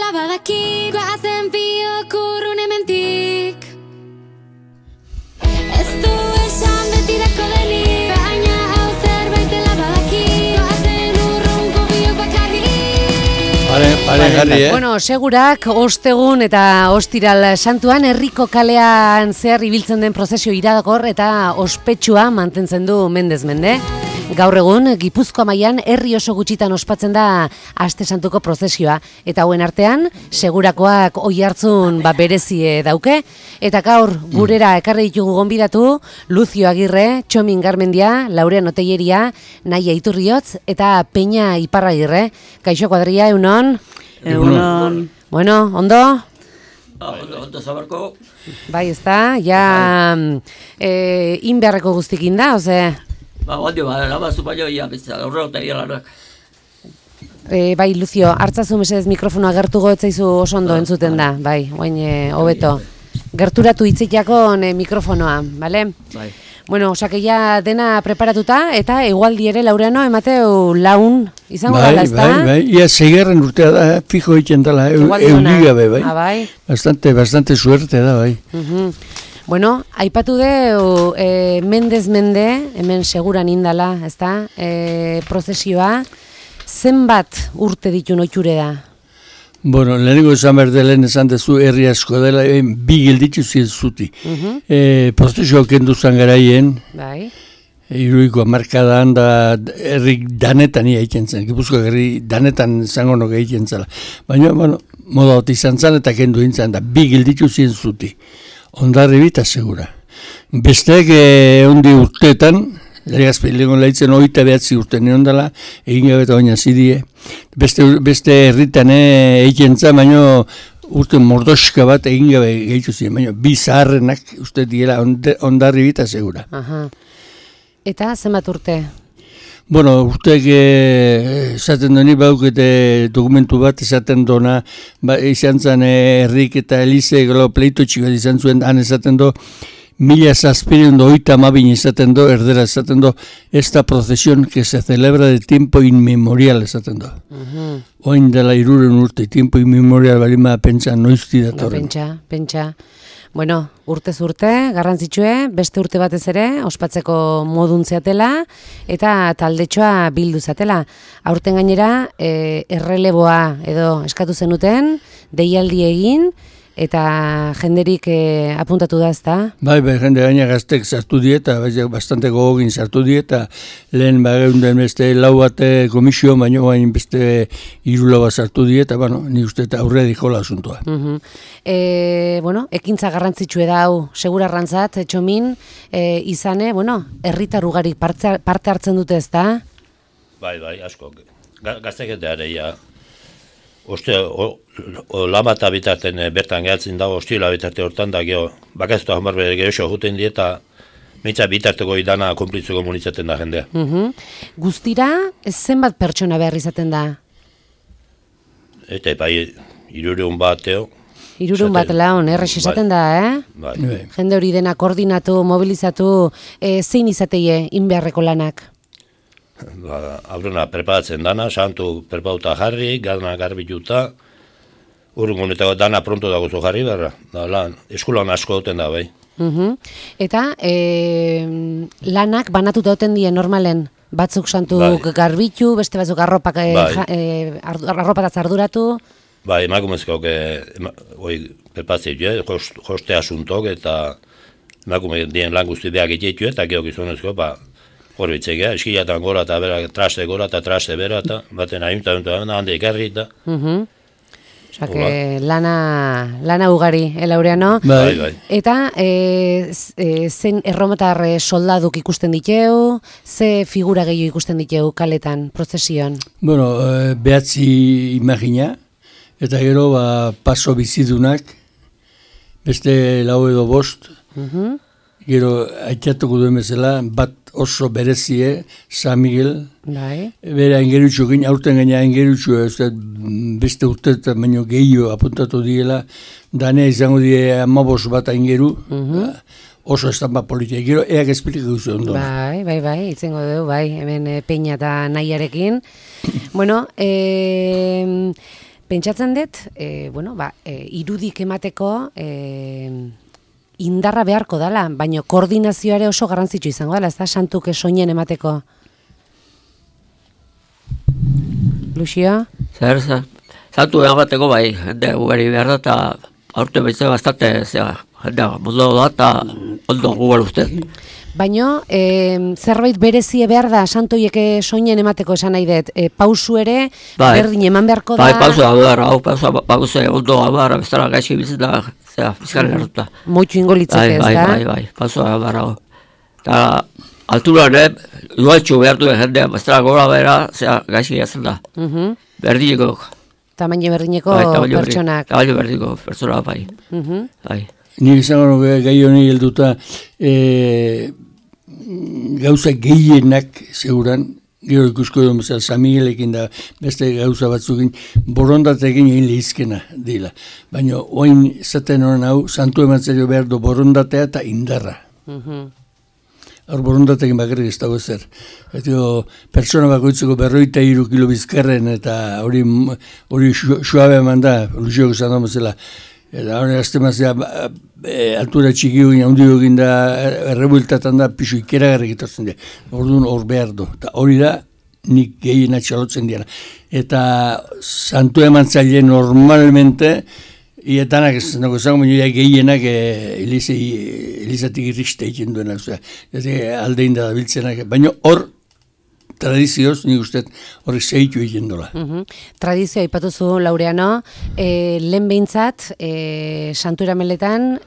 dela badaki, goazen biok urrun hementik. Ez du esan betirako denik, baina hau zerbait dela badaki, goazen urrunko biok bakarrik. Pare jarri, Bueno, segurak, ostegun eta ostiral santuan, herriko kalean zehar ibiltzen den prozesio iradakor eta ospetsua mantentzen du mendez mende. Gaur egun, Gipuzkoa mailan herri oso gutxitan ospatzen da Aste Santuko prozesioa, eta hauen artean, segurakoak oihartzun berezie dauke, eta gaur gurera ekarri ditugu gonbidatu, Lucio Agirre, Txomin Garmendia, Laurean Oteieria, Naia Iturriotz, eta Peña Iparragirre. Kaixo Kuadria, egunon? Egunon. Bueno, ondo? Ondo zabarko. Bai, ezta, ja inbeharreko guztikin da, oze? Ondo, labazu baino, bezala, horregotan lanak. Bai, Lucio, hartzazu mesedez mikrofonoa gertugo etzaizu oso ondo entzuten da, bai, oain hobeto. Gerturatu hitzikakon mikrofonoa, bale? Bai. Bueno, osakeia dena preparatuta, eta egualdi ere Laureano emateu laun izango dela, ezta? Bai, ia seigarren urtea da, fijo egiten dela, euligabe, bai. Bai. Bastante suerte da, bai. Bueno, aipatu deu mendez mende, hemen seguran indala, ezta? Prozesioa, zenbat urte ditu noiture da? Bueno, lehenengo esan berdelen esan dezu herri asko dela, bi gilditzu zuti. Prozesio kendu zan garaien, Bai. Iruiko markadan da herri danetan ia egiten zen, Gipuzkoa herri danetan zango noge egiten zela. Baina, bueno, moda hoti izan zen eta kendu intzan da, bi gilditzu zuti. Ondarri bita segura. Besteak ondi urteetan, legazpeilegon lehitzen 29 urte neon dela, egin gabe eta baina zidie. Beste herritan egiten zen, baina urte mordoska bat egin gabe gehitu ziren, baina bi zaharrenak uste diela ondarri bita segura. Aha. Eta zenbat urte? Bueno, urteak esaten doni baukete dokumentu bat esaten dona, izan zen herrik eta Elize gero pleito txikat izan zuen, han esaten do, 1782 esaten do, erdera esaten do, esta procesión que se celebra de tiempo inmemorial esaten do. Oin dela 300 urte, tiempo inmemorial balima pentsa noizti datorren. Pentsa. Bueno, urtez urte, garrantzitsue, beste urte batez ere, ospatzeko modun zeatela, eta taldetxoa bildu zatela. Aurten gainera, erreleboa edo eskatu zenuten, deialdi egin, eta jenderik apuntatu da, ezta? Bai, jende gaina gaztek sartu dieta, bastante gogogin sartu dieta, lehen bageunden beste lau bate komisio, baina bain beste 3 lau bat sartu dieta, bueno, ni uste eta aurre dikola asuntua. Bueno, ekintza garrantzitsue da hau, segura arrantzat, Txomin, izane, bueno, herritar ugarik parte hartzen dute, ezta? Bai, asko. Gaztek eta ja. Oste, lamata bitarten bertan gehatzen dago, ostila bitarte hortan da, bakazuta jamarbe gehoxo juten di eta mitza bitarteko idana konplitzeko komunitzaten da jendea. Guztira, zenbat pertsona behar izaten da? Eta bai, 300 bat, 300 bat laun, errex esaten da, Bai. Jende hori dena koordinatu, mobilizatu, zein izateie inbeharreko lanak? Aurrena preparatzen dana, santu preparatuta jarri, dana garbituta, urrungonetako dana pronto dago zu jarri berra, eskulan asko duten da, bai. Eta lanak banatuta duten die normalen, batzuk santu garbitu, beste batzuk arropataz arduratu. Bai, emakumezkoak preparatzen joste asuntok eta emakume dien lan guzti behar egitetu eta geok izonezko, hor bitzegea, eskilatan gora eta bera, traste gora eta traste bera eta baten ahimta hande ikarri eta. Osake, lana ugari, Laureano. Bai. Eta zen erromatar soldaduk ikusten diteu, ze figura gehiago ikusten diteu kaletan, prozesioan? Bueno, behatzi imagina, eta gero paso bizidunak, beste 4 edo 5, gero aitatuko duen bezala, bat oso berezie, San Miguel, bera engerutxo, aurten gaina engerutxo, beste urteetan baino gehiago apuntatu diela, danea izango die 15 bat engeru, oso estampa politia, gero eak esplikatu zuen ondo. Bai, itzengo dugu, hemen Peña eta Naiarekin. Bueno, Pentsatzen dut, irudik emateko indarra beharko dela, baina koordinazioa ere oso garrantzitsu izango dela, ez da santuk soinen emateko. Luxio? Zer, santu emateko bai, jende ugari behar da, eta aurte behitzen bastante, jendea, mundu da, eta ondo gugar uste. Baina, zerbait berezie behar da, santoiek soinen emateko esan nahi dut, pausu ere, berdin eman beharko da? Bai, pausu da behar, pausu ondo behar, bestara gaixi bizitzen da, fiskaren erruta. Moitxu ingo litzeke ez da? Bai, pausu da behar. Eta alturan, igualtxu behar duen jendea, bestara gora behar, gaixi jazen da. Berdineko. Tamaino berdineko pertsonak. Tamaino berdineko pertsonak, bai. Bai. Ni izango nuke gai honi helduta gauza gehienak seguran, gero ikusko edo bezala San Miguelekin da beste gauza batzukin borondatekin egin lehizkena dila. Baina oin zaten honen hau, santu emantzero behar du borondatea eta indarra. Hor borondatekin bakarrik ez dago ezer. Pertsona bakoitzeko 43 kilo bizkarren eta hori suabe eman da, Luxiok esan da bezala. Eta hori aztemazia altura txiki egin, handi egin da, errebueltatan da, pixu ikeragarrik etortzen dira. Orduan hor behar du. Eta hori da, nik gehiena txalotzen dira. Eta santu emantzaile normalmente, ietanak ez nago zango, baina gehienak elizatik irriste egin duena. Aldein da biltzenak. Baina hor, tradizioz, nik uste horrek zehitu egin dola. Tradizioa ipatuzu, Laureano, lehen behintzat, santu erameletan,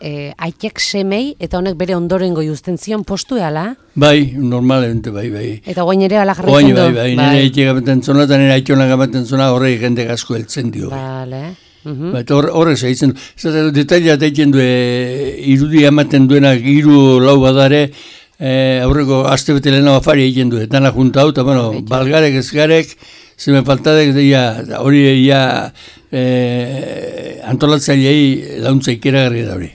aitek semei, eta honek bere ondorengo justen zion postu ehala? Bai, normalmente, bai. Eta guain ere ala jarretzen du? Bai, nire aitek gamaten zona, eta nire aitionak gamaten zona, horrek jende asko heltzen dio. Bale. Horrek zehitzen du. Detailat egiten du, irudi ematen duenak, hiru lau badare, aurreko aste bete lehena afari egiten du, dana junta hau, eta balgarek ezgarek, zemen faltadek, hori antolatzailei launtza ikeragarri da hori.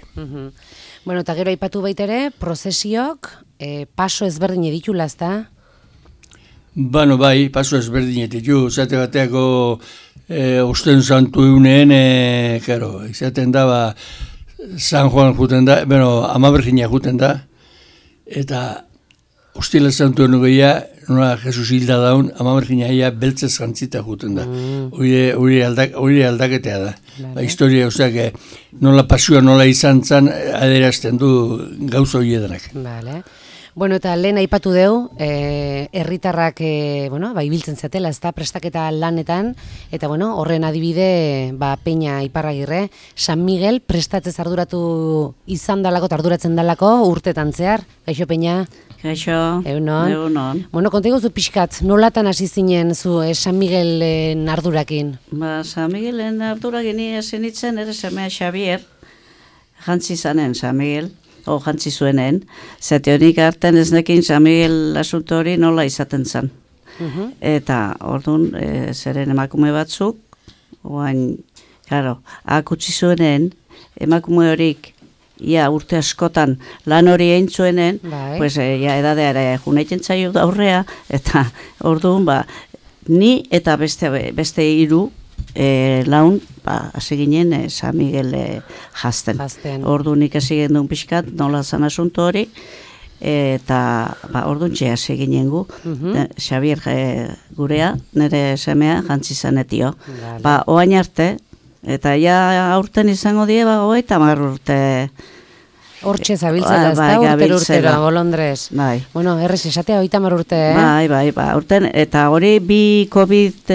Bueno, eta gero aipatu baitere, prozesiok, paso ezberdin editula, ez da? Bai, paso ezberdin editu, zate bateako osten santu eguneen, izaten da, San Juan juten da, Amabergina juten da, eta ostila zantuen nugeia, nola Jesus hilda daun, Amabergina beltzez jantzita juten da. Hori aldaketea da. Historia, nola pasioa nola izan zan, adierazten du gauza hori edanak. Vale. Bueno, eta lehen aipatu deu, herritarrak ibiltzen zatela, ez da, prestaketa lanetan, eta horren adibide, Peña Iparragirre, San Miguel prestatzez arduratu izan dalako, arduratzen dalako, urtetan zehar. Gaixo, Peña? Gaixo, egunon. Bueno, konta iguzu pixkat, nolatan hasi zinen zu San Miguelen ardurakin? San Miguelen ardurakin hasi nintzen, ere semea Xavier, jantzi zanen San Miguel, jantzi zuenen, zate honik harten ez nekin San Miguel asunto hori nola izaten zen. Eta orduan, zeren emakume batzuk, akutsi zuenen, emakume horik, urte askotan lan hori egin zuenen, edadeara junaitzen zaio aurrea, eta orduan, ni eta beste hiru laun, hasi ginen San Miguel jazten. Orduan ikasi gendun pixkat, nola zan asunto hori, eta orduan hasi ginen gu. Xavier gurea, nire semea, jantzi zanetio. Oain arte, eta aurten izango die, 30 urte. Hortxe zabiltzela, ez da, urtero, bolondrez. Bueno, errez esatea 30 urte, Bai, urten, eta hori bi COVID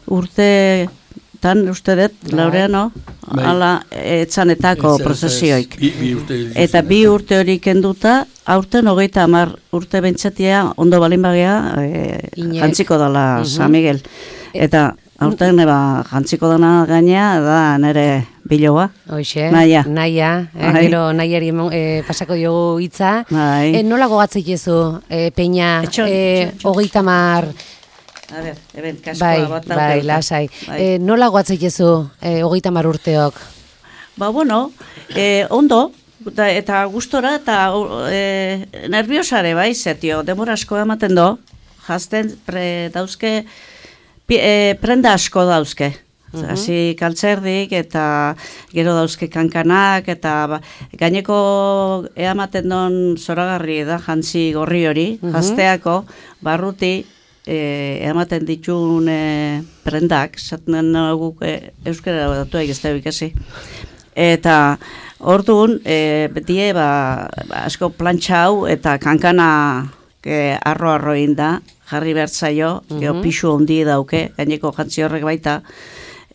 urtetan, uste dut, Laureano, ala, etzanetako prozesioik. Eta bi urte hori kenduta, aurten 30 urte bentsatia, ondo balin bagea, jantziko dela San Miguel. Eta aurten jantziko dana gainea, da nire biloa. Hoxe, Naia. Gero nahiari pasako diogu hitza. Nola gogatzeik ezu, Peña, 30... A ber, kaskoa bat dauke. Bai, lasai. Nola gogatzeik ezu, 30 urteok? Ondo, eta gustora, eta nerviosare, zetio, demora asko ematen do, jazten dauzke, prenda asko dauzke. Hasi kaltzerdik eta gero dauzke kankanak eta gaineko eamaten don zoragarri da jantzi gorri hori, jazteako, barruti eamaten ditun prendak, zaten guk euskara datu egizte ikasi. Eta orduan, betie asko plantxa hau eta kankana arro inda, jarri bertzaio, pixu ondi dauke, gaineko jantzi horrek baita,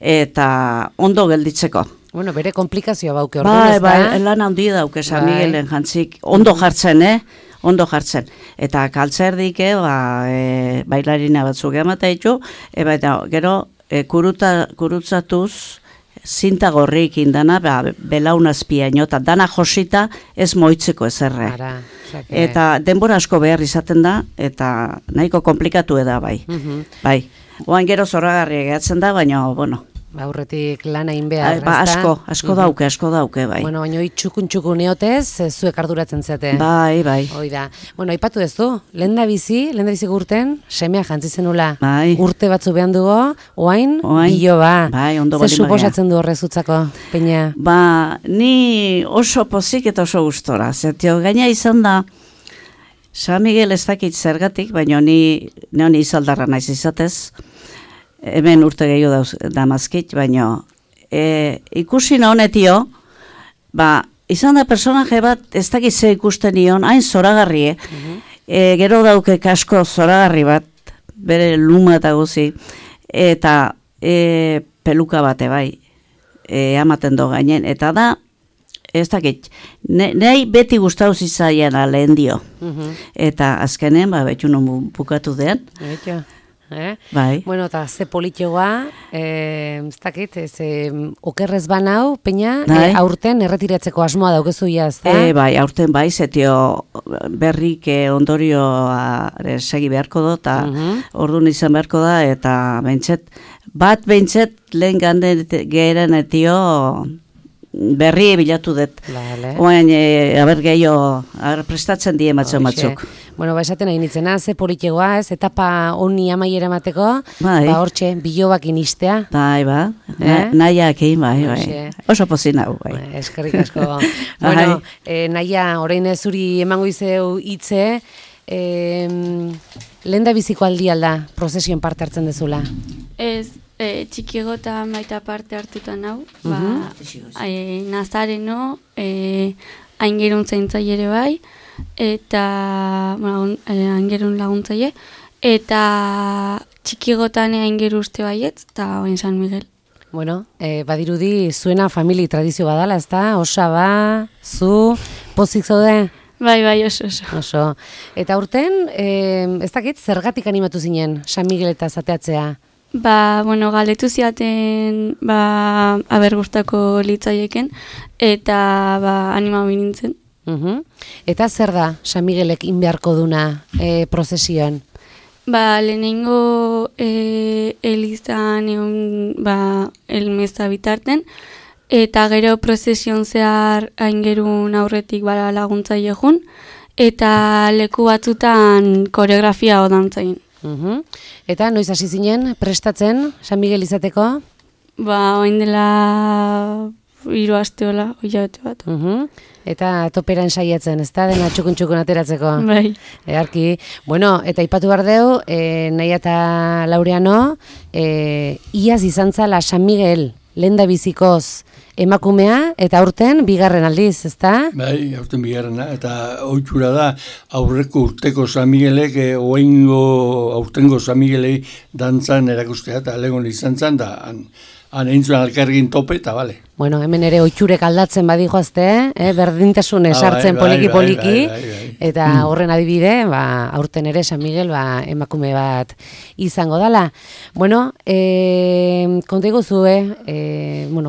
eta ondo gelditzeko. Bueno, bere komplikazioa bauke orduan, ez da? Bai, lan handi dauke San Miguelen jantzik, ondo jartzen, ondo jartzen. Eta kaltzerdik, bailarina batzuk emata ditu, eta gero kurutzatuz, zinta gorrik indana, belaunazpia inota, dana josita ez moitzeko ezerre. Eta denbora asko behar izaten da, eta nahiko komplikatu da bai. Bai, oan gero zoragarri egatzen da, baina, bueno. Aurretik lan egin behar, asko dauke, bai. Bueno, baina txukun neotez, zuek arduratzen zate. Bai. Hoi da. Bueno, aipatu ez du, lehendabizi urten, semea jantzi zenula. Bai. Urte batzu behan dugu, oain, biloba. Bai, ondo bali magia. Zer suposatzen du horrezutzako, Peña? Ni oso pozik eta oso gustora. Zertio, gaina izan da, San Miguel ez dakit zergatik, baina ni izaldarra naiz izatez, hemen urte gehiago damazkit, baina ikusi honetio, izan da personaje bat ez dakit ze ikusten nion, hain zoragarri, gero dauke kasko zoragarri bat, bere luma eta guzi, eta peluka bate bai, amaten do gainen, eta da, ez dakit, nahi beti gustau zizaian lehen dio, eta azkenen, betxunon bukatu dean, Bai. Bueno, eta ze politioa, ez dakit, okerrez banau, Peña, aurten erretiratzeko asmoa daukezu ez da? Bai, aurten bai, zetio berrik ondorioa segi beharko do, eta orduan izan beharko da, eta behintzet lehen ganden geheren etio berri bilatu dut. Oain, aber gehiago, prestatzen die batzuk. Bueno, esaten nahi nitzena, ze politegoa, ez, etapa honi amaiera mateko, hortxe, bilobakin istea. Bai, nahiak egin, bai. Oso pozina, bai. Eskerrik asko. Bueno, naia, orain zuri emango izeu hitze, lehen da biziko alda, prozesioen parte hartzen dezula? Ez, txikiego eta maita parte hartutan hau, nazareno, aingerun zaintzaile ere bai, eta aingerun laguntzaile, eta txikigotan aingeru uste baietz, eta oin San Miguel. Bueno, badirudi zuena famili tradizio badala, ez da? Osaba, zu, pozik zaude? Bai, oso. Eta urten, ez dakit, zergatik animatu zinen San Miguel eta zateatzea? Galdetu ziaten, aber gustako litzaieken, eta anima binintzen. Eta zer da San Miguelek inbeharko duna prozesioan? Lehenengo elizan egon elmeza bitarten, eta gero prozesion zehar aingerun aurretik laguntzaile jun, eta leku batzutan koreografia odantzain. Eta noiz hasi zinen prestatzen San Miguel izateko? Oin dela 3 asteola, hilabete bat. Eta topera ensaiatzen, ez da, dena txukun ateratzeko? Bai. Earki. Bueno, eta ipatu behar deu, Naia eta Laureano, iaz izan zala San Miguel, lenda bizikoz emakumea, eta aurten bigarren aldiz, ez da? Bai, aurten bigarrena, eta ohitura da, aurreko urteko San Miguelek, aurtengo San Miguelei dantzan erakustea, eta legon izan zan, da, han eintzuen alkargin tope, eta bale. Bueno, hemen ere ohiturek aldatzen badijoazte, berdintasune sartzen poliki-poliki, eta horren adibide, aurten ere San Miguel emakume bat izango dala. Bueno, konta iguzue,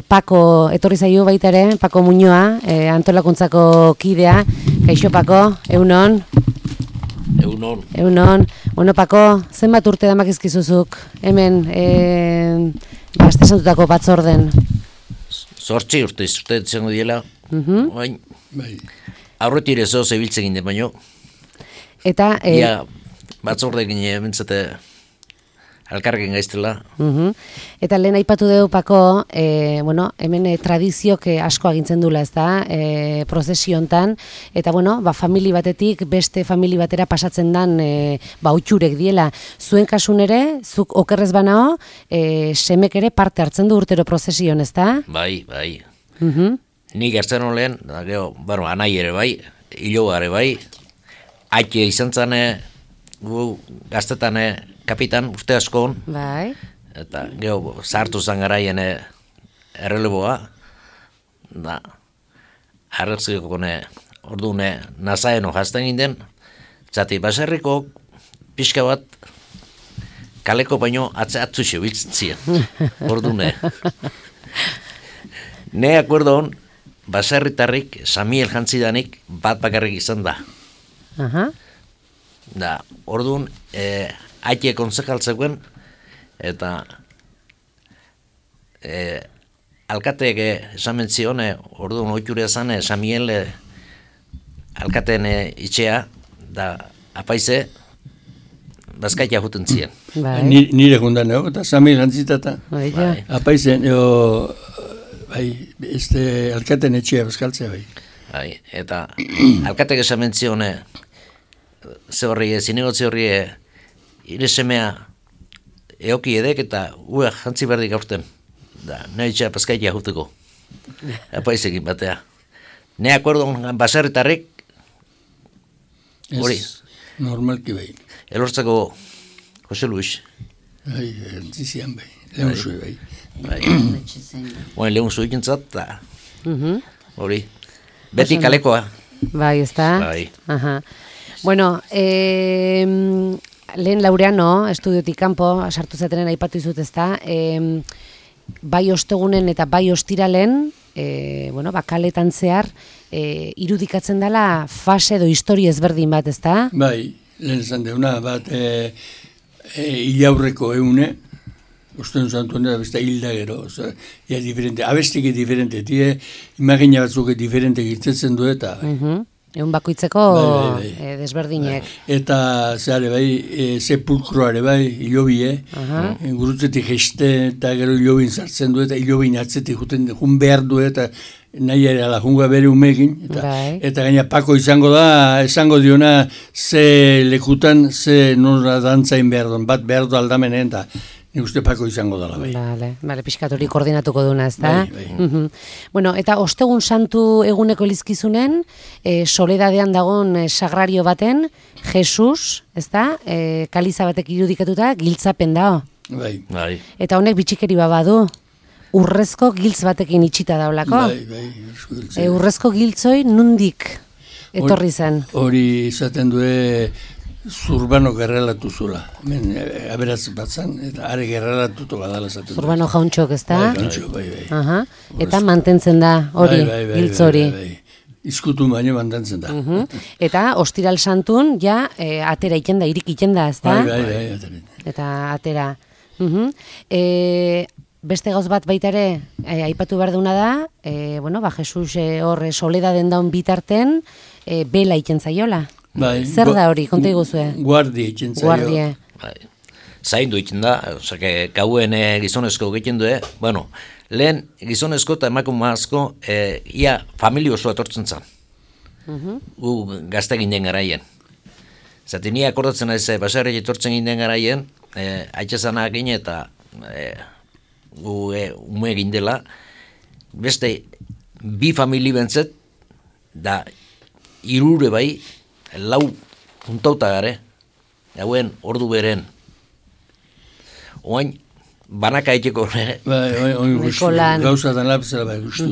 Pako etorri zaio baita ere, Pako Muñoa, antolakuntzako kidea, kaixo Pako, egunon? Egunon. Bueno, Pako, zenbat urte damakizkizuzuk, hemen, Astesantutako batzorden? 8 urte izango diela. Aurretik ere zoz ebiltzen ginen baino. Eta... batzordekin ementzate alkarrekin gaiztela. Eta lehen aipatu dugu, Pako, bueno, hemen tradiziok asko agintzen dula, ez da, prozesiontan, eta bueno, famili batetik beste famili batera pasatzen dan utxurek diela. Zuen kasun ere, zuk okerrez banao, semek ere parte hartzen du urtero prozesion, ez da? Bai. Nik gertzen olen, bueno, anai ere bai, hiloa ere bai, aite izan zane, gu gaztetan kapitan urte askon, Bai. eta gero sartu zan garaien erreleboa, da, arrezkiko orduan nazaeno jazten ginden, zati baserriko pixka bat kaleko baino atzuxo biltzen ziren, orduan. Ne akuerdon, baserritarrik Samuel jantzidanik bat bakarrik izan da. Da, orduan, aite konsejaltzeuen, eta alkateek esamen zion, orduan oitxurea zan, Samuel alkateen itxea, da apaize, bazkaitea juten ziren. Nire gundan, eta Samuel jantzitata. Apaizen, alkateen etxea bazkaltzea bai. Eta alkateek esamen zion, ze horri, zinegotzi horri, ire semea eoki edek eta jantzi berdik aurten. Da, nahi itxea paskaitea juteko. Apaizekin batea. Ne akuerdon baserritarrik, hori. Normalki bai. Elortzako Jose Luis. Bai, jantzizian bai. Lehun zui bai. Bueno, lehun zui gintzat, da. Hori. Beti kalekoa. Bai, ez da? Bai. Bueno, lehen Laureano, estudiotik kanpo, sartu zetenen aipatu izut, ez da, bai ostegunen eta bai ostiralen, kaletan zehar, irudikatzen dela fase edo histori ezberdin bat, ez da? Bai, lehen esan deuna, bat ilaurreko eune, usten zantu handa, besta hilda gero, ia diferente, abestiki diferente, imagina batzuk diferente giltzetzen du eta... Egun bakoitzeko desberdinek. Eta zehare bai, sepulkroare bai, hilobie, gurutzetik jeste eta gero hilobin sartzen du eta hilobin atzetik jun behar du eta nahi ere ala junga bere umekin. Eta gaina Pako izango da, esango diona ze lekutan, ze nora dantzain behar duen, bat behar du aldamenen eta nik uste Pako izango dela bai. Bale, pixkat hori koordinatuko duna, ez da? Bueno, eta ostegun santu eguneko elizkizunen, Soledadean dagoen sagrario baten, Jesus, ez da? Kaliza batek irudikatuta, giltzapen dao. Bai. Eta honek bitxikeri badu, urrezko giltz batekin itxita daulako. Bai. Urrezko giltzoi nundik etorri zen. Hori izaten due... Zurbano gerrelatu zula. Aberatz batzan, eta are gerrelatutu badala zaten. Zurbano jauntxok, ez da? Jauntxok, bai. Eta mantentzen da hori, giltz hori. Izkutu baino mantentzen da. Eta ostiral santun, ja, atera iten da, irik iten da, ez da? Bai, atera. Eta atera. Beste gauz bat baita ere, aipatu behar duna da, Jesus hor Soledaden daun bitarten, bela iten zaiola. Zer da hori, konta iguzue? Guardia itzen zaio. Zaindu itzen da, gauen gizonezko egiten du, lehen gizonezko eta emakumazko ia familia osoa etortzen zen. Gu gazte ginen garaien. Zati ni akordatzen ez, baserri etortzen ginen garaien, haitxezanak gine eta gu ume egin dela, beste bi famili bentzet, da irure bai, lau juntauta gare, gauen ordu beren. Oain, banaka eiteko gauza dan lapzela bai, guztu.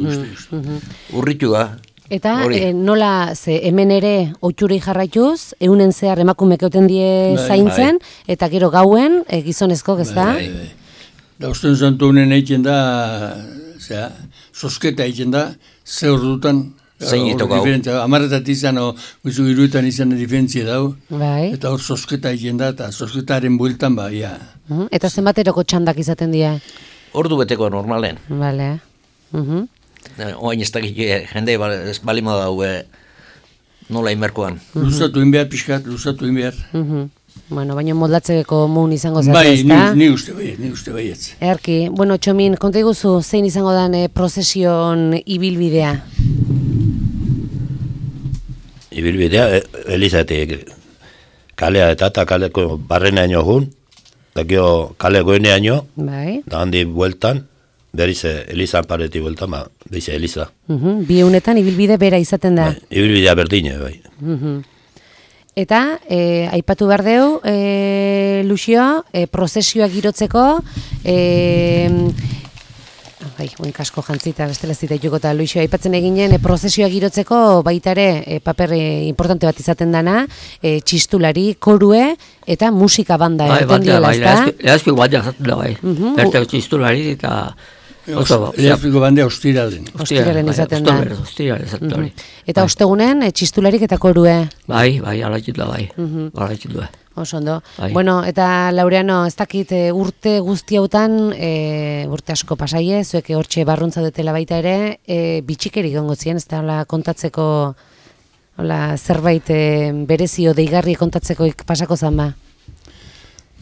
Urritu da. Eta nola, ze hemen ere oitxurei jarraituz, eunen zehar emakumek euten die zaintzen, eta gero gauen gizonezko, ez da? Da usten zantu honen egiten da, sosketa egiten da, ze ordutan, Amarretat izan, guzu iruetan izan diferentzia dau, eta hor sosketa egin da, eta sosketaren bueltan ba, ia. Eta zenbateroko txandak izaten dira? Ordu beteko normalen. Bale. Oain ez dakik jende balima dau nola inberkoan. Luzatu inbehar, pixkat, luzatu inbehar. Bueno, baina moldatzeko mun izango zate, Bai, ezta? ni uste baietz. Erki, bueno, Txomin, konta iguzu, zein izango dan prozesion ibilbidea? Ibilbidea, Elizatik kalea eta kaleko barrenaino jun, da gero kale goeneaino, Bai. da handi bueltan, berriz Elizan pareti bueltan, beize Eliza. Bi egunetan ibilbide bera izaten da. Bai, ibilbidea berdine, bai. Eta, aipatu behar deu, Luxio, prozesioa girotzeko, kasko jantzita, bestela zita juko eta Luxio, aipatzen eginen, prozesioa girotzeko baita ere, paper importante bat izaten dana, txistulari, korue, eta musika banda. Lehazpiko banda zaten da, bai. Bertako txistulari eta... Lehazpiko banda ostiralen. Ostiralen izaten da. Ostiralen izaten da, Eta ostegunen, txistularik eta korue. Bai, alaitzit da, bai. Alaitzit da. Oso ondo. Bueno, eta Laureano, ez dakit urte guzti hautan, urte asko pasaie, zuek hortxe barruntza dutela baita ere, bitxikerik gongo zien, ez da kontatzeko, zerbait berezio deigarri kontatzeko pasako zan ba?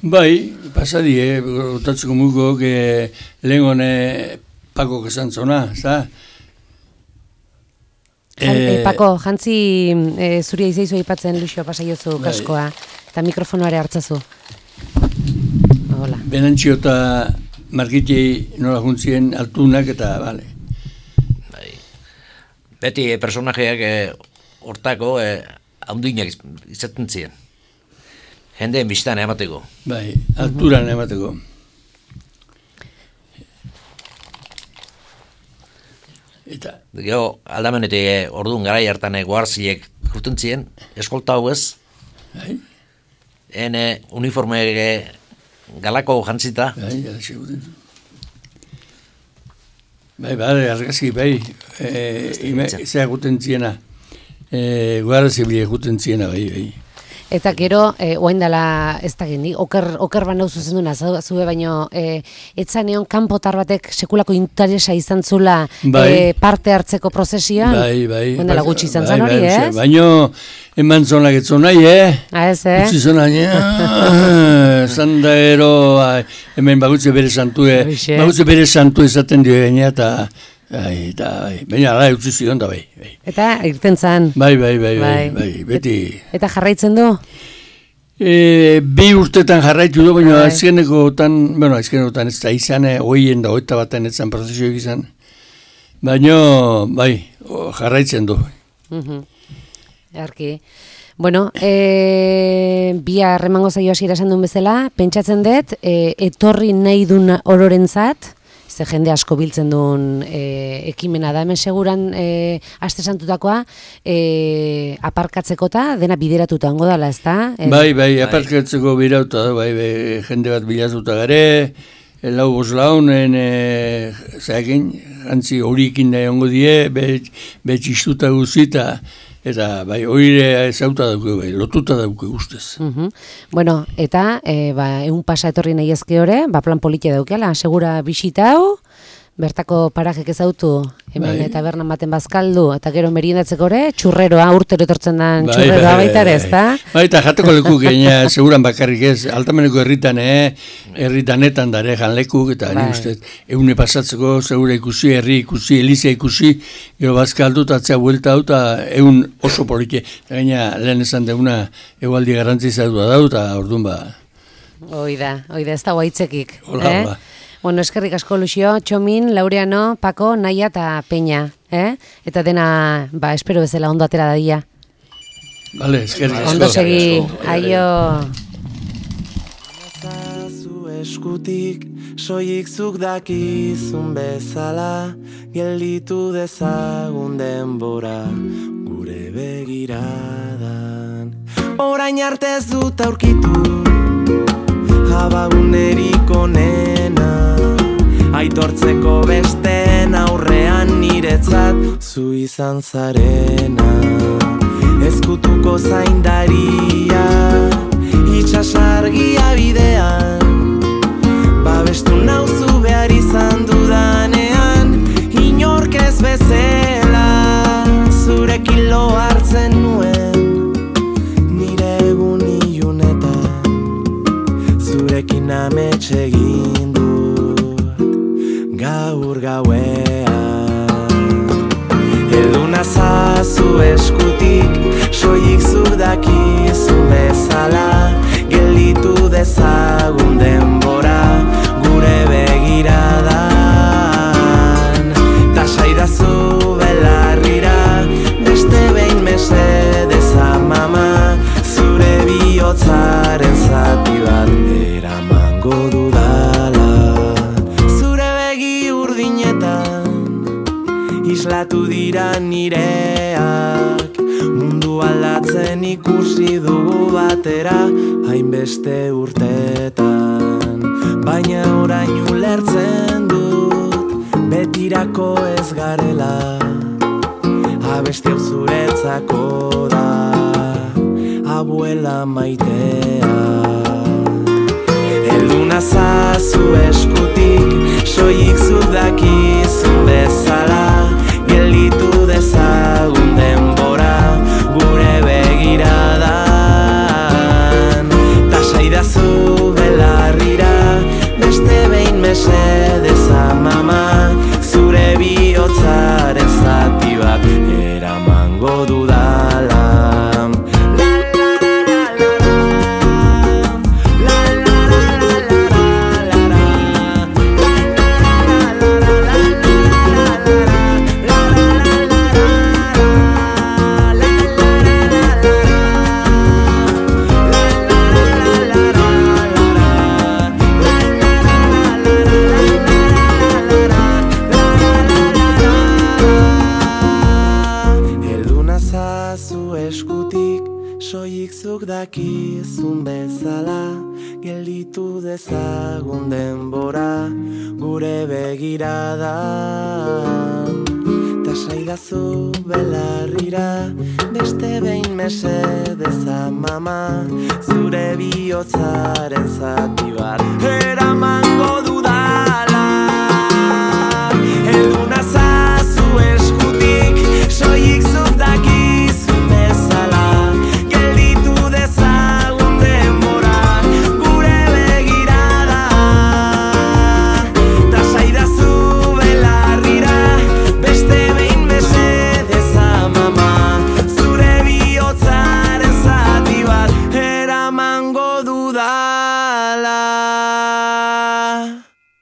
Bai, pasadie, kontatzeko mugo, lehen hone Pako esan zona, za? Pako, jantzi zuria izaizu aipatzen Luxio pasaiozu kaskoa. Eta mikrofonoare hartzazu. Hola. Benantxio eta Margitei nola juntzien altunak eta, bale. Beti personajeak hortako handinak izaten ziren. Jendeen biztan emateko. Bai, alturan emateko. Eta... Gero, aldamenetik orduan garai hartan guarziek juten ziren, eskolta hau ez. Bai. Uniforme galako jantzita. Bai, galaxe guten. Bai, argazki, bai, zea guten ziena. Guarzi bile guten ziena, bai. Eta gero, oain dela, ez da gendi, oker banau zuzenduna, zube baino, etzan egon kanpotar batek sekulako interesa izan zula parte hartzeko prozesioan? Bai. Oain dela gutxi izan zan hori, ez? Baino, eman zonak etzon nahi, Ez, Gutxi zon nahi, zanda ero, hemen bagutze bere santu ezaten dio gaina, eta... Baina ala utzi zion da, bai. Eta irten zan. Bai, beti. Eta jarraitzen du? Bi urtetan jarraitu du, baina azkenekotan ez da izan, hoien da, hoeta baten ez zan prozesioak izan. Baina, bai, jarraitzen du. Arki. Bueno, bihar emango zaio hasiera esan duen bezala, pentsatzen dut, etorri nahi duen ororentzat, ze jende asko biltzen duen ekimena da, hemen seguran aste santutakoa aparkatzeko eta dena bideratuta hango dala, ez da? Bai, aparkatzeko bideratuta da, bai, jende bat bilatuta gare, lau boslaunen, zaekin, jantzi horikin da hongo die, betxistuta guzita, eta bai, oire zauta dauke, bai, lotuta dauke ustez. Bueno, eta egun pasa etorri nahi ezke hori, plan politia daukela, segura bisita hau, bertako parajek ezautu, hemen eta bernan baten bazkaldu, eta gero meriendatzeko ere, txurreroa, urtero etortzen den txurreroa baita ere, ez da? Bai, eta jateko leku gaina, seguran bakarrik ez, altameneko herritanetan dare janlekuk, eta ni ustez, egune pasatzeko, segura ikusi, herri ikusi, Eliza ikusi, gero bazkaldu, eta atzea buelta hau, eta egun oso polike, eta gaina lehen esan deuna, egualdi garantzizatua dau, eta orduan ba. Oida, ez da guaitzekik. Hola, ba. Bueno, eskerrik asko Luxio, Txomin, Laureano, Pako, Naia eta Peña, Eta dena, espero bezala ondo atera dadia. Vale, eskerrik asko. Ondo segi, aio. Zu eskutik, soilik zuk dakizun bezala, gelditu dezagun denbora, gure begiradan. Orain arte ez dut aurkitu, abagunerik onena, aitortzeko besteen aurrean niretzat zu izan zarena. Ezkutuko zaindaria, itxasargia bidean, babestu nauzu behar izan dudanean, inork ez bezala, zurekin lo hartzen nuen, nire egun ilunetan. zazu eskutik, soilik zuk dakizun bezala, gelditu dezagun denbora, gure begiradan. Ta saidazu belarrira, beste behin mesedez amama, zure bihotzaren zati bat eramango dudala. Zure begi urdinetan islatu dira nireak, mundu aldatzen ikusi dugu batera hainbeste urtetan, baina orain ulertzen dut betirako ez garela, abesti hau zuretzako da, abuela maitea. Helduna zazu eskutik, soilik zuk dakizun bezala, gelditu dezagun denbora, gure begiradan. Ta saidazu belarrira, beste behin mesedez amama, zure bihotzaren zati bat eramango dudala. Dakizun bezala, gelditu dezagun denbora, gure begiradan. Ta saidazu belarrira, beste behin mesedez amama, zure bihotzaren zati bat